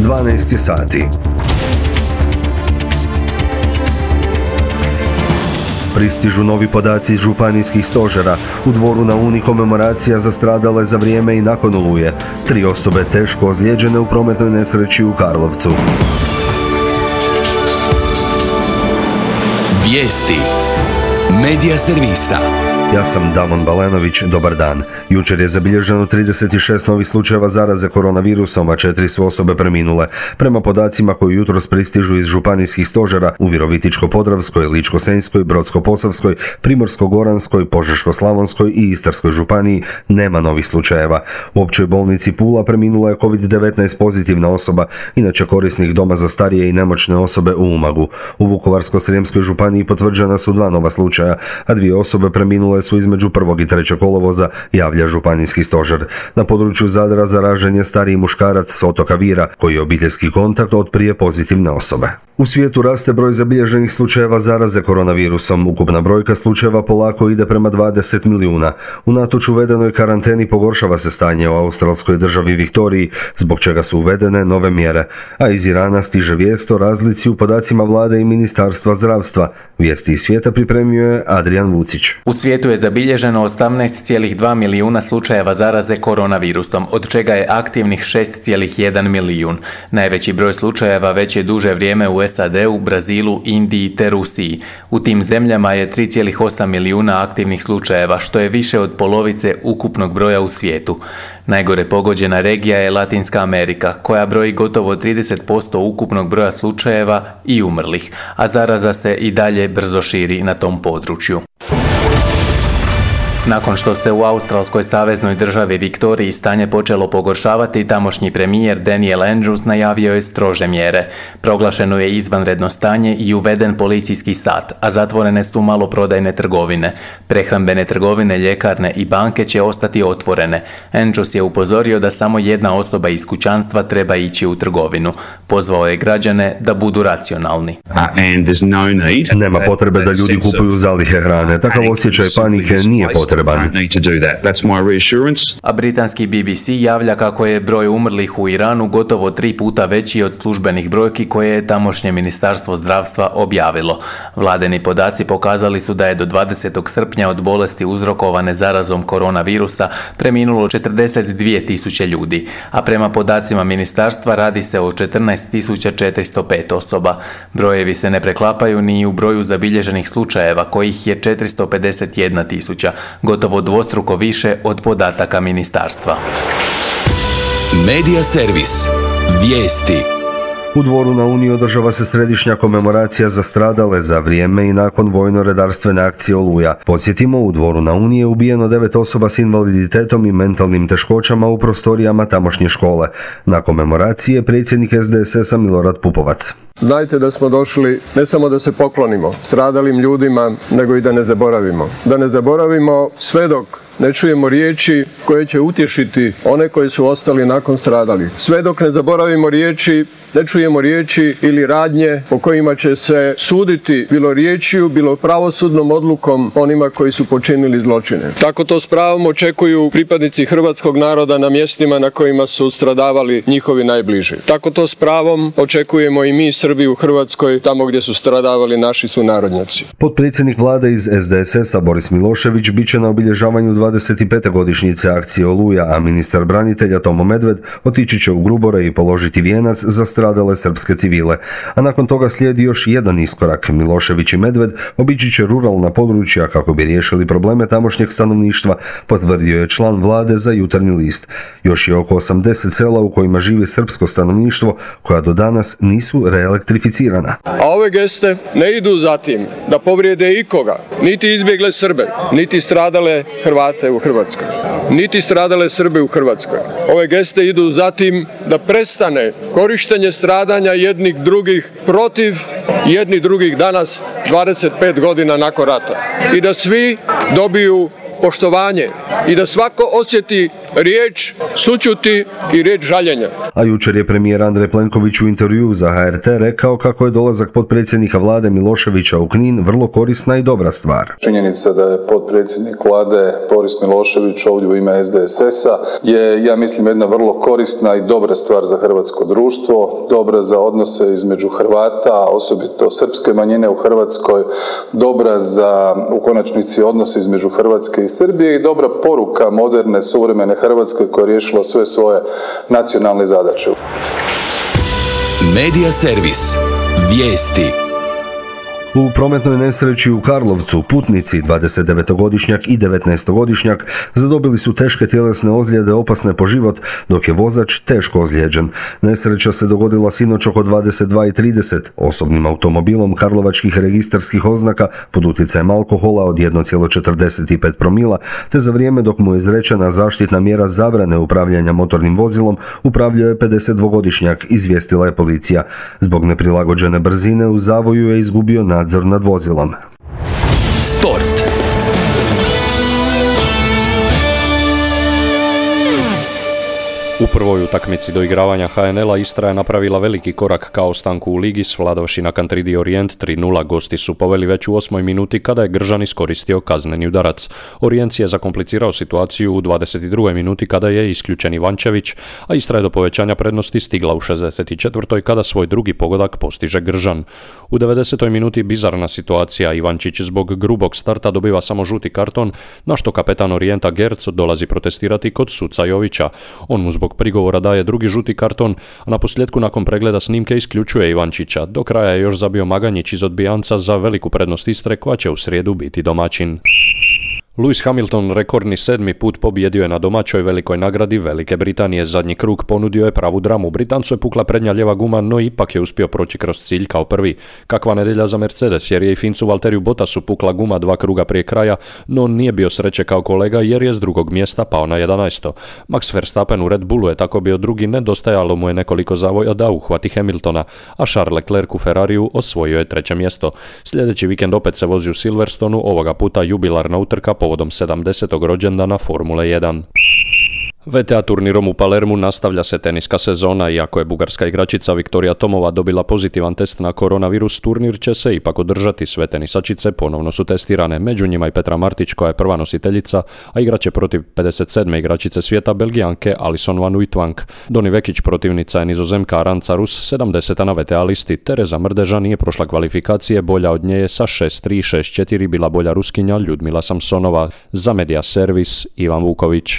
12 sati. Pristižu novi podaci iz županijskih stožera. U Dvoru na Uni komemoracija za stradale za vrijeme i nakon Oluje. 3 osobe teško ozlijeđene u prometnoj nesreći u Karlovcu. Vijesti Medija servisa. Ja sam Damon Balenović, dobar dan. Jučer je zabilježeno 36 novih slučajeva zaraze koronavirusom, a 4 su osobe preminule. Prema podacima koji jutros pristižu iz županijskih stožera u Virovitičko-podravskoj, Ličko-senjskoj, Brodsko-posavskoj, Primorsko-goranskoj, Požeško-slavonskoj i Istarskoj županiji nema novih slučajeva. U općoj bolnici Pula preminula je COVID-19 pozitivna osoba, inače korisnik doma za starije i nemoćne osobe u Umagu. U Vukovarsko-srijemskoj županiji potvrđena su 2 nova slučaja, a 2 osobe preminule su između 1. i 3. kolovoza, javlja županijski stožer. Na području Zadra zaražen je stariji muškarac s otoka Vira, koji je obiteljski kontakt od prije pozitivne osobe. U svijetu raste broj zabilježenih slučajeva zaraze koronavirusom. Ukupna brojka slučajeva polako ide prema 20 milijuna. Unatoč uvedenoj karanteni pogoršava se stanje u australskoj državi Viktoriji, zbog čega su uvedene nove mjere. A iz Irana stiže vijest o razlici u podacima vlade i Ministarstva zdravstva. Vijesti iz svijeta pripremio je Adrian Vucić. U svijetu je zabilježeno 18,2 milijuna slučajeva zaraze koronavirusom, od čega je aktivnih 6,1 milijun. Najveći broj slučajeva već je duže vrijeme u SAD-u, Brazilu, Indiji te Rusiji. U tim zemljama je 3,8 milijuna aktivnih slučajeva, što je više od polovice ukupnog broja u svijetu. Najgore pogođena regija je Latinska Amerika, koja broji gotovo 30% ukupnog broja slučajeva i umrlih, a zaraza se i dalje brzo širi na tom području. Nakon što se u australskoj saveznoj državi Viktoriji stanje počelo pogoršavati, tamošnji premijer Daniel Andrews najavio je strože mjere. Proglašeno je izvanredno stanje i uveden policijski sat, a zatvorene su maloprodajne trgovine. Prehrambene trgovine, ljekarne i banke će ostati otvorene. Andrews je upozorio da samo jedna osoba iz kućanstva treba ići u trgovinu. Pozvao je građane da budu racionalni. Nema potrebe da ljudi kupuju zalihe hrane. Takav osjećaj panike nije potreban. A britanski BBC javlja kako je broj umrlih u Iranu gotovo 3 puta veći od službenih brojki koje je tamošnje ministarstvo zdravstva objavilo. Vladini podaci pokazali su da je do 20. srpnja od bolesti uzrokovane zarazom koronavirusa preminulo 42.000 ljudi, a prema podacima ministarstva radi se o 14.405 osoba. Brojevi se ne preklapaju ni u broju zabilježenih slučajeva, kojih je 451.000, gotovo dvostruko više od podataka ministarstva. Medija servis. Vijesti. U Dvoru na Uni održava se središnja komemoracija za stradale za vrijeme i nakon vojno-redarstvene akcije Oluja. Podsjetimo, u Dvoru na Uni je ubijeno 9 osoba s invaliditetom i mentalnim teškoćama u prostorijama tamošnje škole. Na komemoraciji je predsjednik SDSS-a Milorad Pupovac. Znajte da smo došli ne samo da se poklonimo stradalim ljudima, nego i da ne zaboravimo. Da ne zaboravimo sve dok ne čujemo riječi koje će utješiti one koji su ostali nakon stradalih. Sve dok ne zaboravimo riječi, ne čujemo riječi ili radnje po kojima će se suditi bilo riječju, bilo pravosudnom odlukom onima koji su počinili zločine. Tako to s pravom očekuju pripadnici hrvatskog naroda na mjestima na kojima su stradavali njihovi najbliži. Tako to s pravom očekujemo i mi Srbi u Hrvatskoj, tamo gdje su stradavali naši sunarodnjaci. Potpredsjednik vlade iz SDSS-a Boris Milošević bit će na obilježavanju 25. godišnjice akcije Oluja, a ministar branitelja Tomo Medved otići će u Grubore i položiti vijenac za stradale srpske civile. A nakon toga slijedi još jedan iskorak. Milošević i Medved obići će ruralna područja kako bi riješili probleme tamošnjeg stanovništva, potvrdio je član vlade za Jutarnji list. Još je oko 80 sela u kojima živi srpsko stanovništvo koja do danas nisu reelektrificirana. A ove geste ne idu za tim da povrijede ikoga, niti izbjegle Srbe, niti stradale Hrvate u Hrvatskoj, niti stradale Srbe u Hrvatskoj. Ove geste idu za tim da prestane korištenje stradanja jednih drugih protiv jednih drugih danas 25 godina nakon rata i da svi dobiju poštovanje i da svako osjeti riječ sućuti i riječ žaljenja. A jučer je premijer Andrej Plenković u intervjuu za HRT rekao kako je dolazak potpredsjednika vlade Miloševića u Knin vrlo korisna i dobra stvar. Činjenica da je potpredsjednik vlade Boris Milošević ovdje u ime SDSS-a je, ja mislim, jedna vrlo korisna i dobra stvar za hrvatsko društvo, dobra za odnose između Hrvata, osobito srpske manjine u Hrvatskoj, dobra za, u konačnici, odnose između Hrvatske i Srbije i dobra poruka moderne, suvremene Hrvatske koja je riješila sve svoje nacionalne zadaće. Medija servis. Vijesti. U prometnoj nesreći u Karlovcu putnici 29-godišnjak i 19-godišnjak zadobili su teške tjelesne ozljede opasne po život, dok je vozač teško ozlijeđen. Nesreća se dogodila sinoć oko 22:30 osobnim automobilom karlovačkih registarskih oznaka pod utjecajem alkohola od 1,45 promila, te za vrijeme dok mu je izrečena zaštitna mjera zabrane upravljanja motornim vozilom upravljao je 52-godišnjak, izvijestila je policija. Zbog neprilagođene brzine u zavoju je izgubio nadzor nad vozilom. Sport. U prvoj utakmici doigravanja HNL-a Istra je napravila veliki korak ka ostanku u ligi, svladavši na Kantridi Orijent 3:0. Gosti su poveli već u 8. minuti kada je Gržan iskoristio kazneni udarac. Orijent je zakomplicirao situaciju u 22. minuti kada je isključen Ivančević, a Istra je do povećanja prednosti stigla u 64. kada svoj drugi pogodak postiže Gržan. U 90. minuti bizarna situacija, Ivančić zbog grubog starta dobiva samo žuti karton, na što kapetan Orijenta Gerc dolazi protestirati kod suca Jovića. On mu zbog prigovora daje drugi žuti karton, a na posljedku nakon pregleda snimke isključuje Ivančića. Do kraja je još zabio Maganjić iz odbijanca za veliku prednost Istre koja će u srijedu biti domaćin. Lewis Hamilton rekordni 7. put pobijedio je na domaćoj velikoj nagradi Velike Britanije. Zadnji krug ponudio je pravu dramu. Britancu je pukla prednja lijeva guma, no ipak je uspio proći kroz cilj kao prvi. Kakva nedjelja za Mercedes, jer je i Fincu Valteriju Bottasu pukla guma 2 kruga prije kraja, no on nije bio sreće kao kolega jer je s drugog mjesta pao na 11. Max Verstappen u Red Bullu je tako bio drugi, nedostajalo mu je nekoliko zavoja da uhvati Hamiltona, a Charles Leclerc u Ferrariju osvojio je 3. mjesto. Sljedeći vikend opet se vozi u Silverstonu, ovoga puta jubilarna utrka povodom 70. rođendana Formule 1. VTA turnirom u Palermu nastavlja se teniska sezona. Iako je bugarska igračica Viktorija Tomova dobila pozitivan test na koronavirus, turnir će se ipak održati. Sve tenisačice ponovno su testirane, među njima i Petra Martić koja je prva nositeljica, a igraće protiv 57. igračice svijeta Belgijanke Alison van Uytvanck. Doni Vekić protivnica je Nizozemka Aranca Rus, 70. na VTA listi. Tereza Mrdeža nije prošla kvalifikacije, bolja od nje je sa 6-3, 6-4 bila bolja Ruskinja Ljudmila Samsonova. Za Medija servis Ivan Vuković.